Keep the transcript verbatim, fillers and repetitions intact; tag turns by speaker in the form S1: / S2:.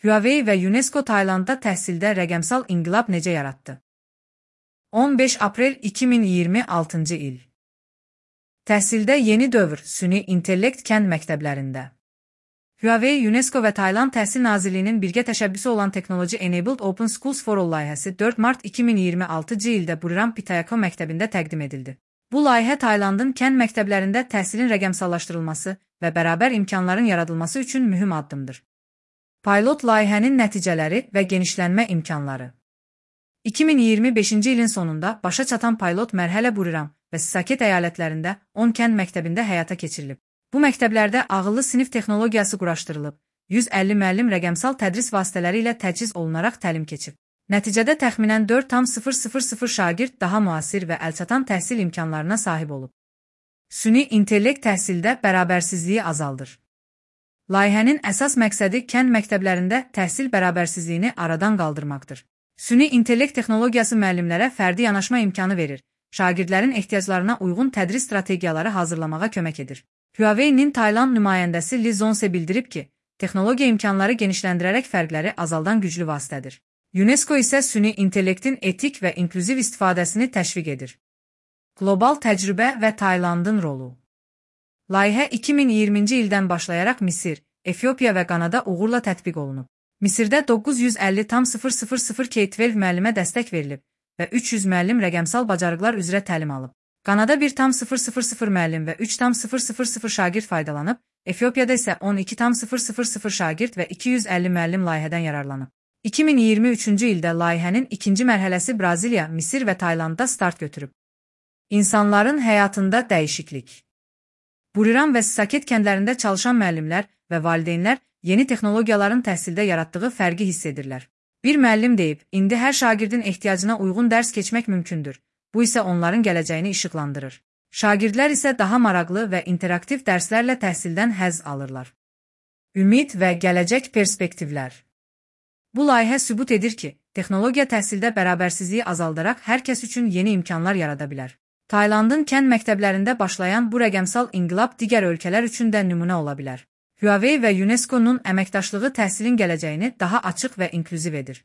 S1: Huawei və UNESCO Taylandda təhsildə rəqəmsal inqilab necə yaratdı? on beş aprel iki min iyirmi altıncı il. Təhsildə yeni dövr, süni intellekt kənd məktəblərində. Huawei, UNESCO və Tayland Təhsil Nazirliyinin birgə təşəbbüsü olan Technology Enabled Open Schools for All layihəsi dörd mart iki min iyirmi altıncı ildə Buriram Pitayakon məktəbində təqdim edildi. Bu layihə Taylandın kənd məktəblərində təhsilin rəqəmsallaşdırılması və bərabər imkanların yaradılması üçün mühüm addımdır. Pilot layihənin nəticələri və genişlənmə imkanları. iki min iyirmi beşinci ilin sonunda başa çatan pilot mərhələ Buriram və Saket əyalətlərində on kənd məktəbində həyata keçirilib. Bu məktəblərdə ağıllı sinif texnologiyası quraşdırılıb, yüz əlli müəllim rəqəmsal tədris vasitələri ilə təchiz olunaraq təlim keçib. Nəticədə təxminən dörd tam sıfır sıfır sıfır şagird daha müasir və əlçatan təhsil imkanlarına sahib olub. Süni intellekt təhsildə bərabərsizliyi azaldır. Layihənin əsas məqsədi kənd məktəblərində təhsil bərabərsizliyini aradan qaldırmaqdır. Süni intellekt texnologiyası müəllimlərə fərdi yanaşma imkanı verir, şagirdlərin ehtiyaclarına uyğun tədris strategiyaları hazırlamağa kömək edir. Huawei-nin Tayland nümayəndəsi Li Zonse bildirib ki, texnologiya imkanları genişləndirərək fərqləri azaldan güclü vasitədir. UNESCO isə süni intellektin etik və inklüziv istifadəsini təşviq edir. Qlobal təcrübə və Taylandın rolu. Layihə iki min iyirminci ildən başlayaraq Misir, Efiopiya və Qanada uğurla tətbiq olunub. Misirdə doqquz yüz əlli tam sıfır sıfır sıfır K on iki müəllimə dəstək verilib və üç yüz müəllim rəqəmsal bacarıqlar üzrə təlim alıb. Qanada bir tam sıfır sıfır sıfır müəllim və üç tam sıfır sıfır sıfır şagird faydalanıb, Efiopiyada isə on iki tam sıfır sıfır sıfır şagird və iki yüz əlli müəllim layihədən yararlanıb. iki min iyirmi üçüncü ildə layihənin ikinci mərhələsi Braziliya, Misir və Taylandda start götürüb. İnsanların həyatında dəyişiklik. Buriram və Saket kəndlərində çalışan müəllimlər və valideynlər yeni texnologiyaların təhsildə yaratdığı fərqi hiss edirlər. Bir müəllim deyib, indi hər şagirdin ehtiyacına uyğun dərs keçmək mümkündür. Bu isə onların gələcəyini işıqlandırır. Şagirdlər isə daha maraqlı və interaktiv dərslərlə təhsildən həzz alırlar. Ümid və gələcək perspektivlər. Bu layihə sübut edir ki, texnologiya təhsildə bərabərsizliyi azaldaraq hər kəs üçün yeni imkanlar yarada bilər. Taylandın kənd məktəblərində başlayan bu rəqəmsal inqilab digər ölkələr üçün də nümunə ola bilər. Huawei və UNESCO-nun əməkdaşlığı təhsilin gələcəyini daha açıq və inklüziv edir.